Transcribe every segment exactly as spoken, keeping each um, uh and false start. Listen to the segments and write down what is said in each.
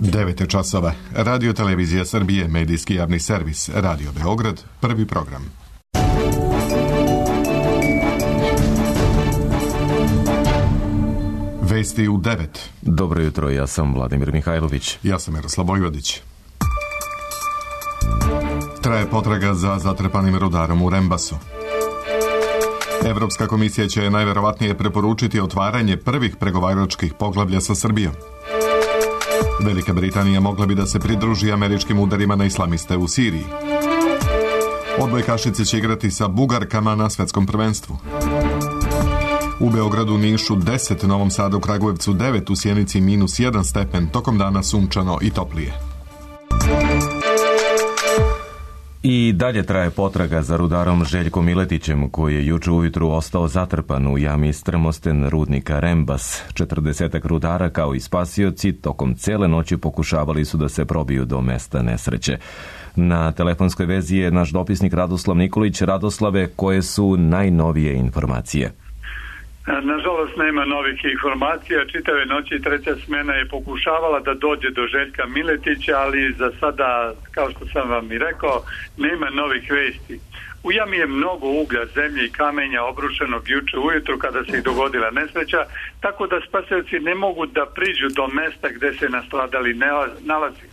devet je časova. Radio Televizija Srbije, medijski javni servis, Radio Beograd, prvi program. Vesti u devet. Dobro jutro, ja sam Vladimir Mihajlović. Ja sam Miroslav Vojvodić. Traje potraga za zatrpanim rudarom u Rembasu. Evropska komisija će najverovatnije preporučiti otvaranje prvih pregovaračkih poglavlja sa Srbijom. Velika Britanija mogla bi da se pridruži američkim udarima na islamiste u Siriji. Odbojkašice će igrati sa Bugarkama na svetskom prvenstvu. U Beogradu, Nišu deset, Novom Sadu, Kragujevcu devet, u Sjenici minus jedan stepen, tokom dana sunčano i toplije. I dalje traje potraga za rudarom Željkom Miletićem, koji je juče ujutru ostao zatrpan u jami strmosten rudnika Rembas. Četrdesetak rudara kao i spasioci tokom cele noći pokušavali su da se probiju do mesta nesreće. Na telefonskoj vezi je naš dopisnik Radoslav Nikolić. Radoslave, koje su najnovije informacije? Nažalost, nema novih informacija. Čitave noći treća smena je pokušavala da dođe do Željka Miletića, ali za sada, kao što sam vam i rekao, nema novih vesti. U jami je mnogo uglja, zemlje i kamenja obrušenog juče ujutru kada se i dogodila nesreća, tako da spasioci ne mogu da priđu do mesta gde se nastradali nalazi.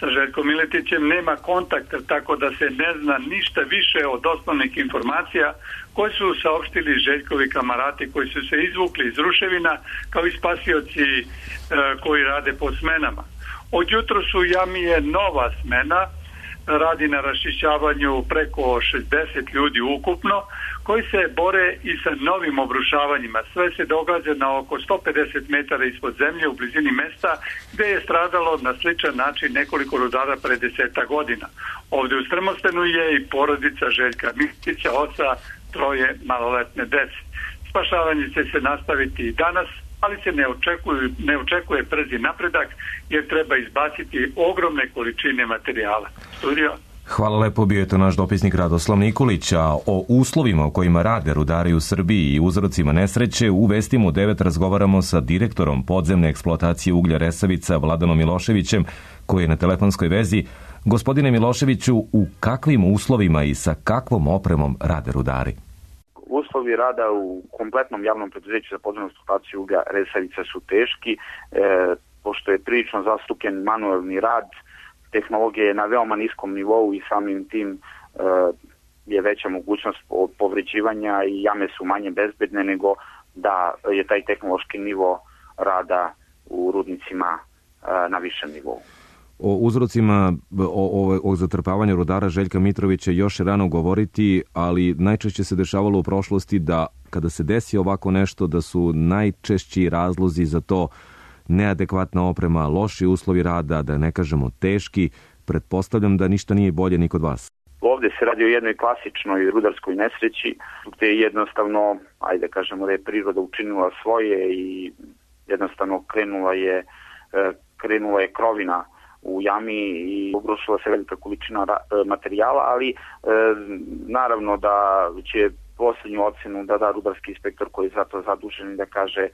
Sa Željkom Miletićem nema kontakta, tako da se ne zna ništa više od osnovnih informacija koje su saopštili Željkovi kamarati koji su se izvukli iz ruševina, kao i spasioci e, koji rade po smenama. Od jutro su u jami je nova smena, radi na raščišćavanju preko šezdeset ljudi ukupno, koji se bore i sa novim obrušavanjima. Sve se događa na oko sto pedeset metara ispod zemlje u blizini mesta gde je stradalo na sličan način nekoliko rudara pre deseta godina. Ovdje u Strmostenu je i porodica Željka Miletića, oca troje maloletne dece. Spašavanje će se nastaviti i danas, ali se ne očekuje, ne očekuje brzi napredak jer treba izbaciti ogromne količine materijala. Studio? Hvala lepo, bio je to naš dopisnik Radoslav Nikolić. A o uslovima u kojima rade rudari u Srbiji i uzrocima nesreće u Vestima u devet razgovaramo sa direktorom podzemne eksploatacije uglja Resavica Vladanom Miloševićem, koji je na telefonskoj vezi. Gospodine Miloševiću, u kakvim uslovima i sa kakvom opremom rade rudari? Uslovi rada u kompletnom javnom preduzeću za podzemnu eksploataciju uglja Resavica su teški, e, pošto je prilično zastupljen manuelni rad, tehnologija je na veoma niskom nivou i samim tim e, je veća mogućnost povređivanja i jame su manje bezbedne nego da je taj tehnološki nivo rada u rudnicima e, na višem nivou. O uzrocima o, o, o zatrpavanju rudara Željka Mitrovića još je rano govoriti, ali najčešće se dešavalo u prošlosti da kada se desi ovako nešto da su najčešći razlozi za to neadekvatna oprema, loši uslovi rada, da ne kažemo teški. Pretpostavljam da ništa nije bolje ni kod vas. Ovdje se radi o jednoj klasičnoj rudarskoj nesreći, gdje je jednostavno, ajde kažemo da je priroda učinila svoje i jednostavno krenula je, krenula je krovina u jami i obrušila se velika količina materijala, ali e, naravno da će posljednju ocenu da da rudarski inspektor koji je za to zadužen i da kaže e,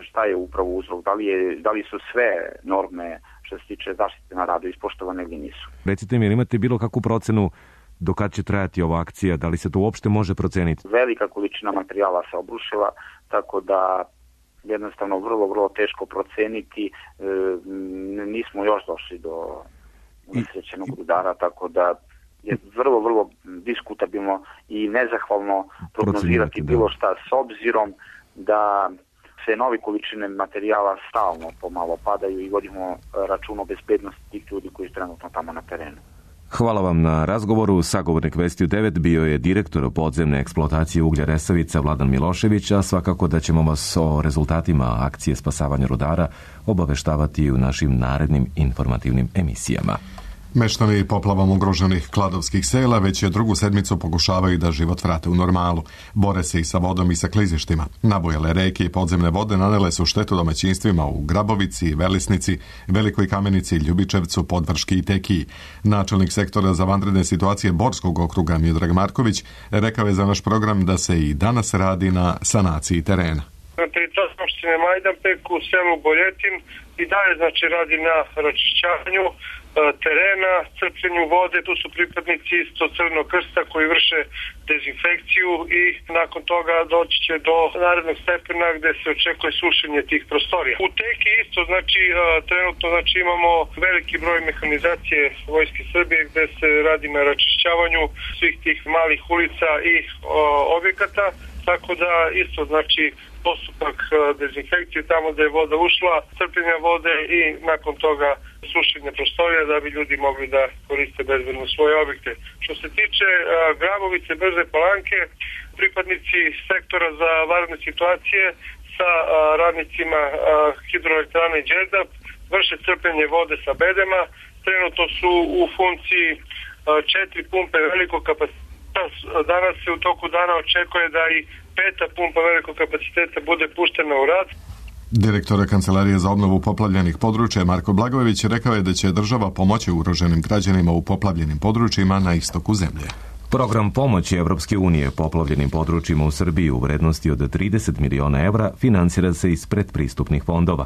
šta je upravo uzrok, da li, je, da li su sve norme što se tiče zaštite na radu ispoštovane ili nisu. Recite mi, imate bilo kakvu procenu do kad će trajati ova akcija, da li se to uopšte može proceniti? Velika količina materijala se obrušila, tako da jednostavno vrlo, vrlo teško proceniti. E, nismo još došli do nesrećenog rudara, tako da je vrlo, vrlo diskutabilno i nezahvalno prognozirati bilo šta s obzirom da se nove količine materijala stalno pomalo padaju i vodimo račun o bezbednosti tih ljudi koji su trenutno tamo na terenu. Hvala vam na razgovoru. Sagovornik Vesti u devet bio je direktor podzemne eksploatacije uglja Resavica Vladan Milošević, a svakako da ćemo vas o rezultatima akcije spasavanja rudara obaveštavati u našim narednim informativnim emisijama. Meštani poplavom ugroženih kladovskih sela već je drugu sedmicu pokušavaju da život vrate u normalu. Bore se i sa vodom i sa klizištima. Nabujale reke i podzemne vode nanele su štetu domaćinstvima u Grabovici, Velisnici, Velikoj Kamenici, Ljubičevcu, Podvrški i Tekiji. Načelnik sektora za vanredne situacije Borskog okruga Miodrag Marković rekao je za naš program da se i danas radi na sanaciji terena. na teritoriji opštine Majdanpek u selu Boljetin i dalje znači radi na račišćavanju terena, crpljenju vode. Tu su pripadnici isto Crvenog krsta koji vrše dezinfekciju i nakon toga doći će do narednog stepena gde se očekuje sušenje tih prostorija. U teki isto znači trenutno znači imamo veliki broj mehanizacije Vojske Srbije gde se radi na račišćavanju svih tih malih ulica i o, objekata, tako da isto znači postupak dezinfekcije tamo gde je voda ušla, crpljenja vode i nakon toga sušenje prostorija da bi ljudi mogli da koriste bezbedno svoje objekte. Što se tiče a, Grabovice, Brze Palanke, pripadnici sektora za vanredne situacije sa a, radnicima a, hidroelektrane Đerdap vrše crpljenje vode sa bedema. Trenutno su u funkciji a, četiri pumpe velikog kapaciteta. Danas se u toku dana očekuje da i peta pumpa velikog kapaciteta bude puštena u rad. Direktor Kancelarije za obnovu poplavljenih područja Marko Blagojević rekao je da će država pomoći ugroženim građanima u poplavljenim područjima na istoku zemlje. Program pomoći Evropske unije poplavljenim područjima u Srbiji u vrednosti od trideset miliona evra finansira se iz predpristupnih fondova.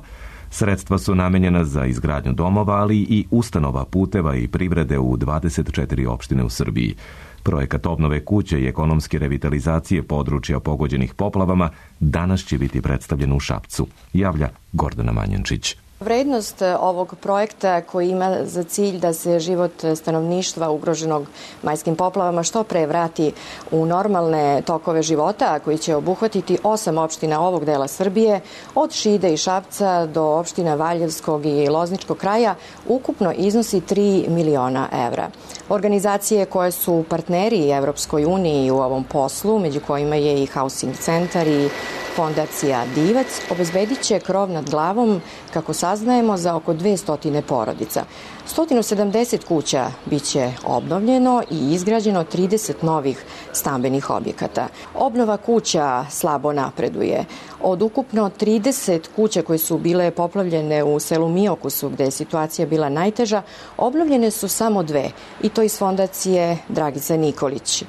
Sredstva su namenjena za izgradnju domova, ali i ustanova, puteva i privrede u dvadeset četiri opštine u Srbiji. Projekat obnove kuće i ekonomske revitalizacije područja pogođenih poplavama danas će biti predstavljen u Šapcu, javlja Gordana Manjančić. Vrednost ovog projekta koji ima za cilj da se život stanovništva ugroženog majskim poplavama što pre vrati u normalne tokove života, koji će obuhvatiti osam opština ovog dela Srbije, od Šide i Šapca do opština Valjevskog i Lozničkog kraja, ukupno iznosi tri miliona evra. Organizacije koje su partneri Evropskoj uniji u ovom poslu, među kojima je i Housing Centar i Fondacija Divac, obezbedit će krov nad glavom, kako saznajemo, za oko dvesta porodica. sto sedamdeset kuća biće obnovljeno i izgrađeno trideset novih stambenih objekata. Obnova kuća slabo napreduje. Od ukupno trideset kuća koje su bile poplavljene u selu Miokusu, gde je situacija bila najteža, obnovljene su samo dve, i to iz Fondacije Dragica Nikolić.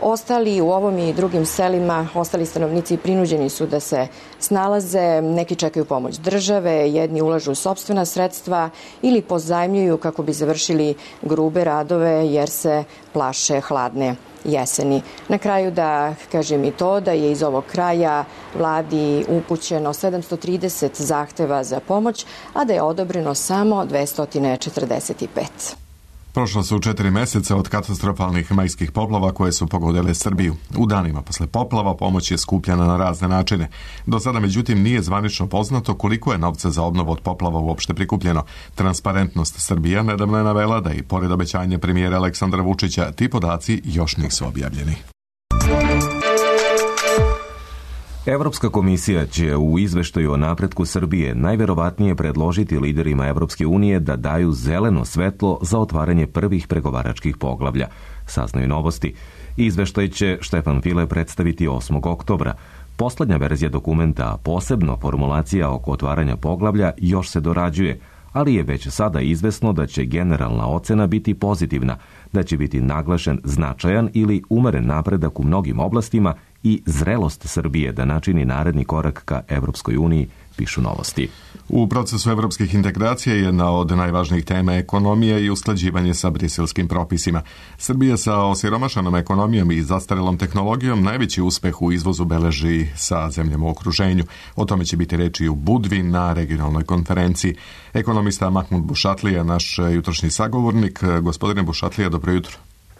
Ostali u ovom i drugim selima, ostali stanovnici prinuđeni su da se snalaze, neki čekaju pomoć države, jedni ulažu sopstvena sredstva ili pozajmljuju kako bi završili grube radove jer se plaše hladne jeseni. Na kraju da kažem i to da je iz ovog kraja vladi upućeno sedamsto trideset zahteva za pomoć, a da je odobreno samo dvesta četrdeset pet. Prošlo su četiri meseca od katastrofalnih majskih poplava koje su pogodile Srbiju. U danima posle poplava pomoć je skupljana na razne načine. Do sada, međutim, nije zvanično poznato koliko je novca za obnovu od poplava uopšte prikupljeno. Transparentnost Srbija nedavno je navela da i pored obećanja premijera Aleksandra Vučića ti podaci još nisu objavljeni. Evropska komisija će u izveštaju o napretku Srbije najverovatnije predložiti liderima Evropske unije da daju zeleno svetlo za otvaranje prvih pregovaračkih poglavlja, saznaju Novosti. Izveštaj će Štefan File predstaviti osmog oktobra. Poslednja verzija dokumenta, a posebno formulacija oko otvaranja poglavlja, još se dorađuje, ali je već sada izvesno da će generalna ocena biti pozitivna, da će biti naglašen značajan ili umeren napredak u mnogim oblastima i zrelost Srbije da načini naredni korak ka Evropskoj uniji, pišu Novosti. U procesu evropskih integracija jedna od najvažnijih tema ekonomija i usklađivanje sa briselskim propisima. Srbija sa osiromašanom ekonomijom i zastarelom tehnologijom najveći uspeh u izvozu beleži sa zemljama u okruženju. O tome će biti reči u Budvi na regionalnoj konferenciji. Ekonomista Mahmud Bušatlija, naš jutrošnji sagovornik. Gospodine Bušatlija, dobro jutro.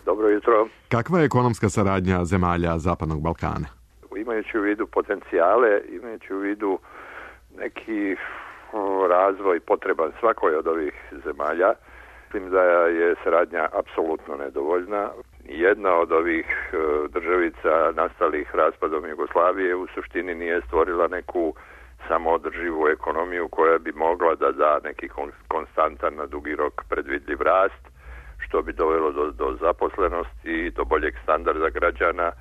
Dobro jutro. Kakva je ekonomska saradnja zemalja Zapadnog Balkana? Imajući u vidu potencijale, imajući u vidu neki razvoj potreban svakoj od ovih zemalja, mislim da je saradnja apsolutno nedovoljna. Jedna od ovih državica nastalih raspadom Jugoslavije u suštini nije stvorila neku samoodrživu ekonomiju koja bi mogla da da neki konstantan na dugi rok predvidljiv rast, što bi dovelo do, do zaposlenosti i do boljeg standarda građana.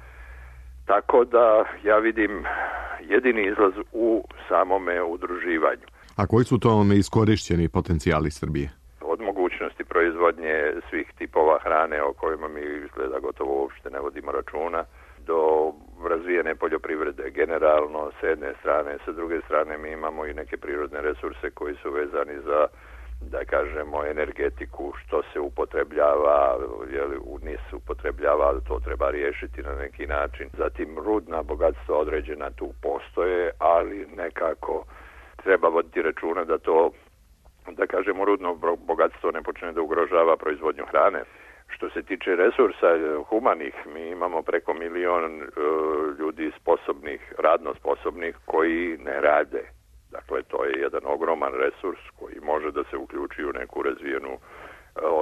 Tako da ja vidim jedini izlaz u samome udruživanju. A koji su to neiskorišćeni potencijali Srbije? Od mogućnosti proizvodnje svih tipova hrane o kojima mi izgleda gotovo uopšte ne vodimo računa, do razvijene poljoprivrede generalno s jedne strane, sa druge strane mi imamo i neke prirodne resurse koji su vezani za, da kažemo, energetiku, što se upotrebljava, jeli, u N I S upotrebljava, ali to treba riješiti na neki način. Zatim rudna bogatstva određena tu postoje, ali nekako treba voditi računa da to, da kažemo, rudno bogatstvo ne počne da ugrožava proizvodnju hrane. Što se tiče resursa humanih, mi imamo preko milion uh, ljudi sposobnih, radno sposobnih koji ne rade. Dakle, to je jedan ogroman resurs koji može da se uključi u neku razvijenu,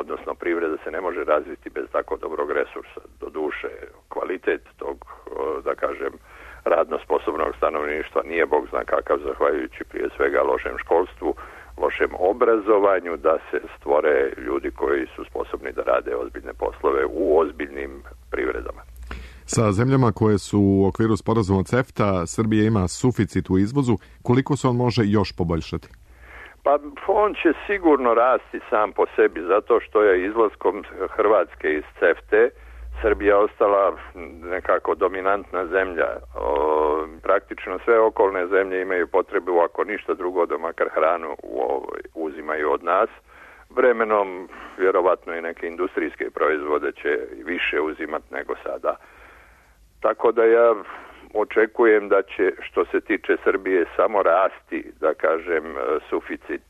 odnosno privreda se ne može razviti bez tako dobrog resursa. Doduše, kvalitet tog, da kažem, radno sposobnog stanovništva nije bog zna kakav, zahvaljujući prije svega lošem školstvu, lošem obrazovanju, da se stvore ljudi koji su sposobni da rade ozbiljne poslove u ozbiljnim privredama. Sa zemljama koje su u okviru sporazuma CEFTA, Srbija ima suficit u izvozu. Koliko se on može još poboljšati? Pa on će sigurno rasti sam po sebi, zato što je izlaskom Hrvatske iz CEFTE Srbija ostala nekako dominantna zemlja. O, praktično sve okolne zemlje imaju potrebu, ako ništa drugo, da makar hranu u ovoj, uzimaju od nas. Vremenom, vjerovatno i neke industrijske proizvode će više uzimati nego sada. Tako da ja očekujem da će, što se tiče Srbije, samo rasti, da kažem, suficit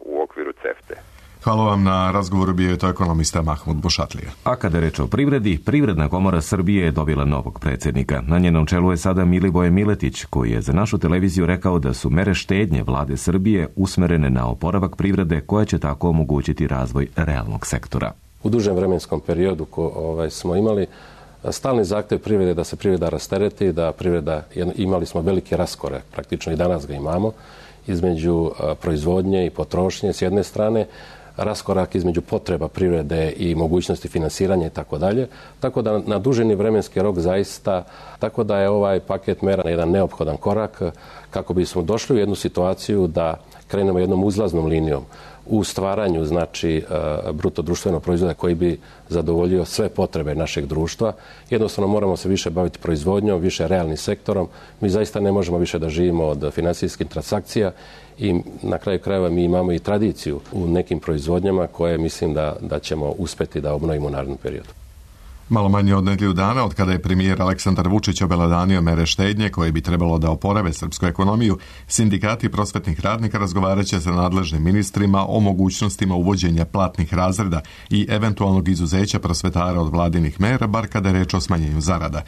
u okviru CEFTE. Hvala vam na razgovoru, bio je to ekonomista Mahmud Bušatlija. A kada je reč o privredi, Privredna komora Srbije je dobila novog predsjednika. Na njenom čelu je sada Milivoje Miletić, koji je za našu televiziju rekao da su mere štednje vlade Srbije usmerene na oporavak privrede, koja će tako omogućiti razvoj realnog sektora. U dužem vremenskom periodu ko, ovaj, smo imali stalni zahtjev privrede da se privreda rastereti, da privreda, imali smo veliki raskorak, praktično i danas ga imamo, između proizvodnje i potrošnje s jedne strane, raskorak između potreba privrede i mogućnosti finansiranja i tako dalje. Tako da na duženi vremenski rok zaista, tako da je ovaj paket mera jedan neophodan korak kako bismo došli u jednu situaciju da krenemo jednom uzlaznom linijom u stvaranju, znači, bruto društvenog proizvoda koji bi zadovoljio sve potrebe našeg društva. Jednostavno moramo se više baviti proizvodnjom, više realnim sektorom. Mi zaista ne možemo više da živimo od finansijskih transakcija i na kraju krajeva mi imamo i tradiciju u nekim proizvodnjama koje mislim da, da ćemo uspjeti da obnovimo u narednom periodu. Malo manje od nedjelju dana, od kada je premijer Aleksandar Vučić obelodanio mere štednje koje bi trebalo da oporave srpsku ekonomiju, sindikati prosvetnih radnika razgovarat će sa nadležnim ministrima o mogućnostima uvođenja platnih razreda i eventualnog izuzeća prosvetara od vladinih mera, bar kada je reč o smanjenju zarada.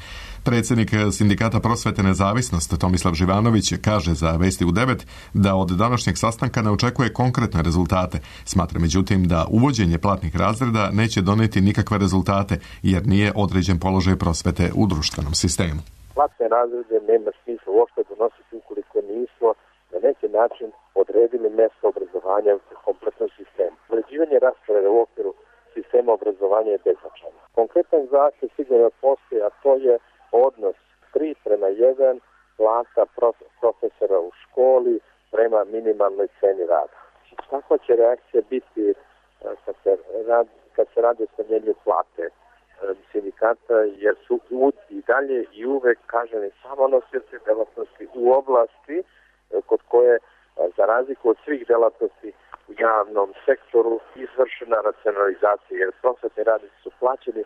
Predsjednik sindikata Prosvete Nezavisnost Tomislav Živanović kaže za Vesti u devet da od današnjeg sastanka ne očekuje konkretne rezultate. Smatra međutim da uvođenje platnih razreda neće doneti nikakve rezultate jer nije određen položaj prosvete u društvenom sistemu. Platne razrede nema smisla uopšte donositi ukoliko nismo na neki način odredili mjesto obrazovanja u kompletnom sistemu. Određivanje rasporeda u okviru sistema obrazovanja je beznačajno. Konkretan zahtjev sigurno postoji, a to je odnos tri prema jedan plata profesora u školi prema minimalnoj ceni rada. Takva će reakcija biti kad se radi, kad se radi o smanjenju plate sindikata, jer su i dalje i uvek kaženi samo nosioci delatnosti u oblasti kod koje, za razliku od svih delatnosti u javnom sektoru, izvršena racionalizacija, jer prosvetni radnici su plaćeni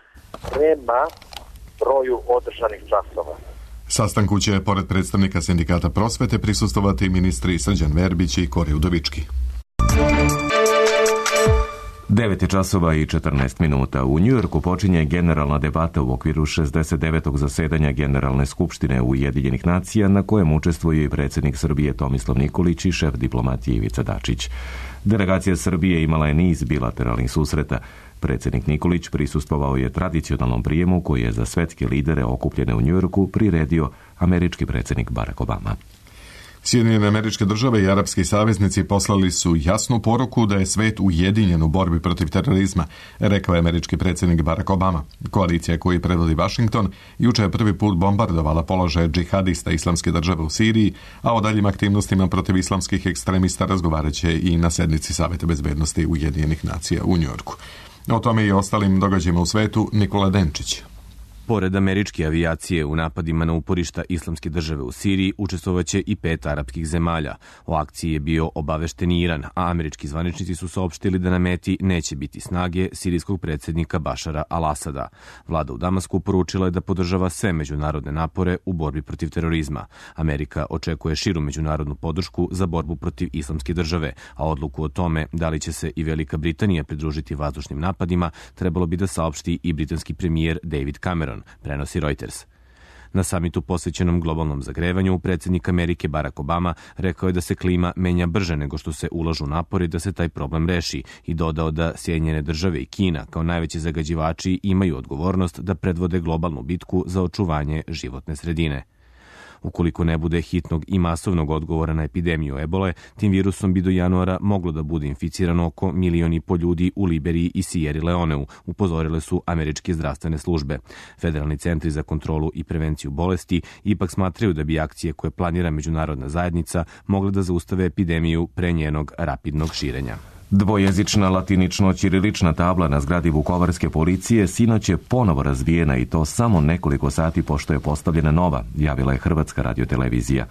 prema broju održanih časova. Sastanku će, pored predstavnika sindikata prosvete, prisustvovati ministri Srđan Verbić i Kori Udovički. devet je časova i četrnaest minuta. U Njujorku počinje generalna debata u okviru šezdeset devetog zasedanja Generalne skupštine Ujedinjenih nacija, na kojem učestvuju i predsjednik Srbije Tomislav Nikolić i šef diplomatije Ivica Dačić. Delegacija Srbije imala je niz bilateralnih susreta. Predsjednik Nikolić prisustvovao je tradicionalnom prijemu koji je za svetske lidere okupljene u Njujorku priredio američki predsjednik Barack Obama. Sjedinjene Američke Države i arapski saveznici poslali su jasnu poruku da je svet ujedinjen u borbi protiv terorizma, rekao je američki predsjednik Barack Obama. Koalicija koju predvodi Washington juče je prvi put bombardovala položaje džihadista Islamske države u Siriji, a o daljim aktivnostima protiv islamskih ekstremista razgovarat će i na sednici Saveta bezbednosti Ujedinjenih nacija u Njujorku. O tome i ostalim događajima u svetu Nikola Denčić. Pored američke avijacije u napadima na uporišta Islamske države u Siriji učestvovaće i pet arapskih zemalja. O akciji je bio obavešten Iran, a američki zvaničnici su saopštili da na meti neće biti snage sirijskog predsjednika Bašara al-Asada. Vlada u Damasku poručila je da podržava sve međunarodne napore u borbi protiv terorizma. Amerika očekuje širu međunarodnu podršku za borbu protiv Islamske države, a odluku o tome da li će se i Velika Britanija pridružiti vazdušnim napadima trebalo bi da saopšti i britanski premijer David Cameron, prenosi Reuters. Na samitu posvećenom globalnom zagrevanju, predsjednik Amerike Barack Obama rekao je da se klima menja brže nego što se ulažu napori da se taj problem reši i dodao da Sjedinjene države i Kina kao najveći zagađivači imaju odgovornost da predvode globalnu bitku za očuvanje životne sredine. Ukoliko ne bude hitnog i masovnog odgovora na epidemiju ebole, tim virusom bi do januara moglo da bude inficirano oko milion i po ljudi u Liberiji i Sierra Leoneu, upozorile su američke zdravstvene službe. Federalni centri za kontrolu i prevenciju bolesti ipak smatraju da bi akcije koje planira međunarodna zajednica mogle da zaustave epidemiju pre njenog rapidnog širenja. Dvojezična latinično-ćirilična tabla na zgradi Vukovarske policije sinoć je ponovo razbijena i to samo nekoliko sati pošto je postavljena nova, javila je Hrvatska radiotelevizija.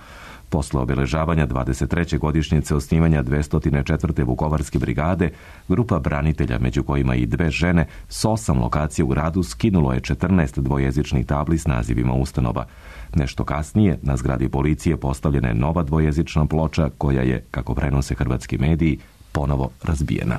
Posle obeležavanja dvadeset treće godišnjice osnivanja dvesta četvrte Vukovarske brigade, grupa branitelja, među kojima i dve žene, s osam lokacija u gradu skinulo je četrnaest dvojezičnih tabli s nazivima ustanova. Nešto kasnije, na zgradi policije postavljena je nova dvojezična ploča koja je, kako prenose hrvatski mediji, ponovo razbijena.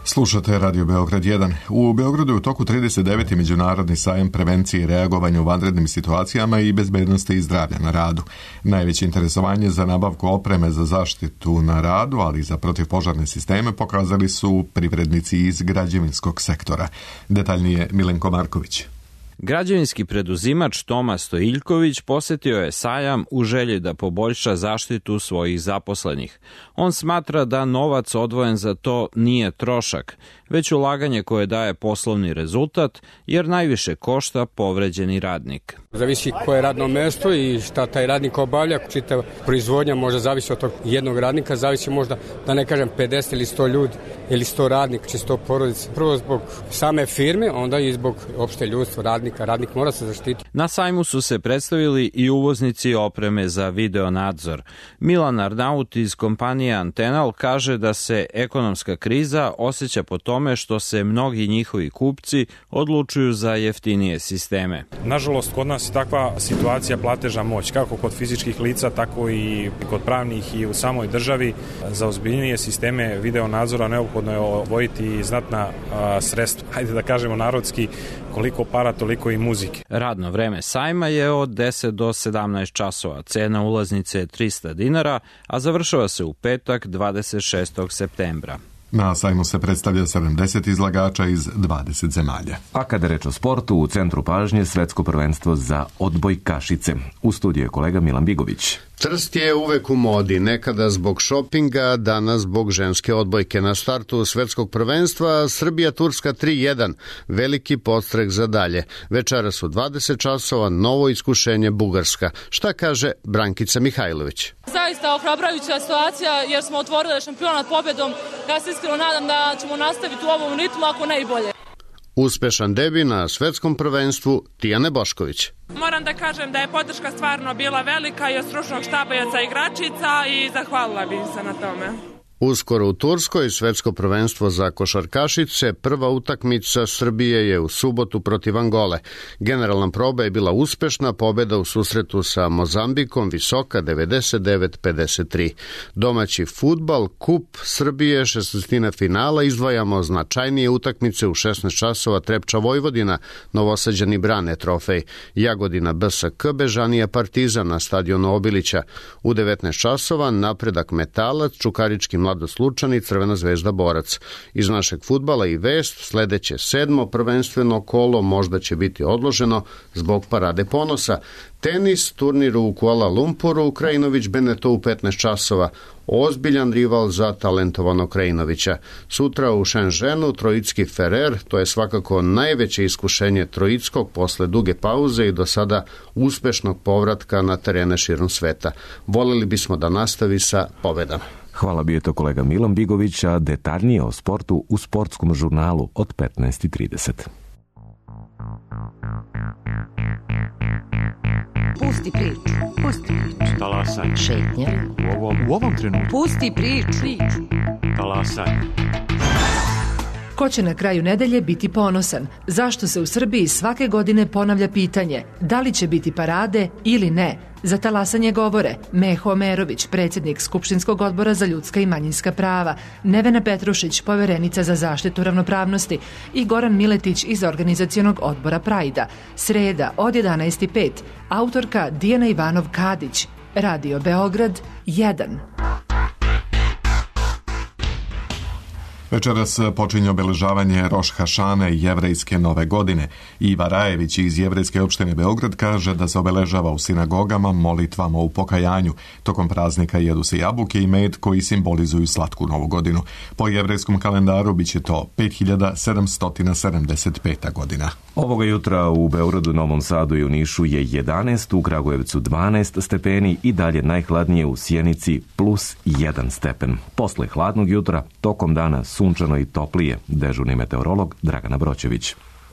Slušate Radio Beograd jedan. U Beogradu je u toku trideset deveti međunarodni sajam prevencije i reagovanja u vanrednim situacijama i bezbednosti i zdravlja na radu. Najveće interesovanje za nabavku opreme za zaštitu na radu, ali i za protivpožarne sisteme pokazali su privrednici iz građevinskog sektora. Detaljnije Milenko Marković. Građevinski preduzimač Toma Stojiljković posetio je sajam u želji da poboljša zaštitu svojih zaposlenih. On smatra da novac odvojen za to nije trošak, već ulaganje koje daje poslovni rezultat, jer najviše košta povređeni radnik. Zavisi koje radno mesto i šta taj radnik obavlja, čitava proizvodnja možda zavisi od tog jednog radnika, zavisi možda, da ne kažem, pedeset ili sto ljudi ili sto radnika, či sto porodica. Prvo zbog same firme, onda i zbog opšte ljudstva radnika. Radnik mora se zaštiti. Na sajmu su se predstavili i uvoznici opreme za video nadzor. Milan Arnaut iz kompanije Antenal kaže da se ekonomska kriza osjeća po tome što se mnogi njihovi kupci odlučuju za jeftinije sisteme. Nažalost, kod nas je takva situacija platežna moć, kako kod fizičkih lica, tako i kod pravnih i u samoj državi. Za ozbiljnije sisteme video nadzora neophodno je odvojiti znatna a, sredstva. Hajde da kažemo narodski, koliko para, toliko i muzike. Radno vreme sajma je od deset do sedamnaest časova. Cena ulaznice je trista dinara, a završava se u petak dvadeset šestog septembra. Na sajmu se predstavlja sedamdeset izlagača iz dvadeset zemalja. A kada reč o sportu, u centru pažnje svetsko prvenstvo za odbojkašice. U studiju je kolega Milan Bigović. Trst je uvek u modi, nekada zbog šopinga, danas zbog ženske odbojke. Na startu svetskog prvenstva Srbija-Turska tri jedan, veliki podstrek za dalje. Večeras u dvadeset časova novo iskušenje Bugarska. Šta kaže Brankica Mihajlović? Zaista ohrabrujuća situacija jer smo otvorili šampionat pobedom. Ja se iskreno nadam da ćemo nastaviti u ovom ritmu, ako ne i bolje. Uspešan debi na svetskom prvenstvu Tijane Bošković. Moram da kažem da je podrška stvarno bila velika i od stručnog štaba i od igračica i zahvalila bih se na tome. Uskoro u Turskoj svetsko prvenstvo za košarkašice, prva utakmica Srbije je u subotu protiv Angole. Generalna proba je bila uspešna, pobeda u susretu sa Mozambikom visoka devedeset devet pedeset tri. Domaći fudbal, kup Srbije, šesnaestina finala, izdvajamo značajnije utakmice u šesnaest časova Trepča Vojvodina, Novosađani brane trofej, Jagodina B S K, Bežanija Partizan na stadionu Obilića. U devetnaest časova Napredak Metalac, Čukarički Mladost Lučani, Crvena zvezda Borac. Iz našeg fudbala i vest, sledeće sedmo prvenstveno kolo možda će biti odloženo zbog parade ponosa. Tenis, turnir u Kuala Lumpuru, Krajinović Beneto u petnaest časova. Ozbiljan rival za talentovanog Krajinovića. Sutra u Šenženu Trojicki Ferrer, to je svakako najveće iskušenje Trojickog posle duge pauze i do sada uspešnog povratka na terene širom sveta. Voleli bismo da nastavi sa pobedama. Hvala, bio je to kolega Milan Bigović, a detaljnije o sportu u sportskom žurnalu od petnaest i trideset. Pusti priču. Pusti priču. Talasaj. Šetnja. U ovom, u ovom trenutku. Pusti priču. Talasaj. Ko će na kraju nedelje biti ponosan? Zašto se u Srbiji svake godine ponavlja pitanje da li će biti parade ili ne? Za talasanje govore Meho Omerović, predsjednik Skupštinskog odbora za ljudska i manjinska prava, Nevena Petrušić, poverenica za zaštitu ravnopravnosti i Goran Miletić iz organizacionog odbora Prajda. Sreda od jedanaest i pet. Autorka Dijana Ivanov-Kadić. Radio Beograd jedan. Večeras počinje obeležavanje Roš Hašane, jevrejske nove godine. Iva Rajević iz jevrejske opštine Beograd kaže da se obeležava u sinagogama molitvama u pokajanju. Tokom praznika jedu se jabuke i med koji simbolizuju slatku novu godinu. Po jevrejskom kalendaru biće to pet hiljada sedamsto sedamdeset peta godina. Ovoga jutra u Beogradu, Novom Sadu i u Nišu je jedanaest, u Kragujevcu dvanaest stepeni i dalje najhladnije u Sjenici plus jedan stepen. Posle hladnog jutra, tokom dana sunčano i toplije, dežurni meteorolog Dragana Broćević.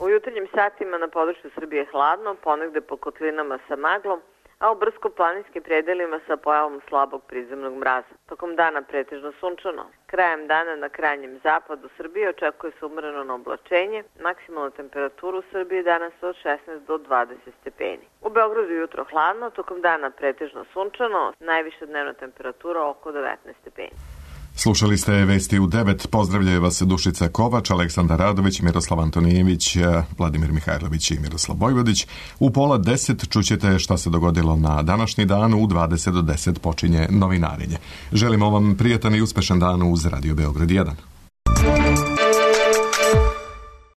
U jutarnjim satima na području Srbije je hladno, ponegde po kotlinama sa maglom, a u brdsko-planinskim predelima sa pojavom slabog prizemnog mraza. Tokom dana pretežno sunčano. Krajem dana na krajnjem zapadu Srbije očekuje se umereno na oblačenje, maksimalna temperatura u Srbiji danas od šesnaest do dvadeset stepeni. U Beogradu jutro hladno, tokom dana pretežno sunčano, najviša dnevna temperatura oko devetnaest stepeni. Slušali ste vesti u devet. Pozdravljaju vas Dušica Kovač, Aleksandar Radović, Miroslav Antonijević, Vladimir Mihajlović i Miroslav Bojvodić. U pola deset čućete šta se dogodilo na današnji dan. U dvadeset do deset počinje novinarenje. Želimo vam prijatan i uspešan dan uz Radio Beograd jedan.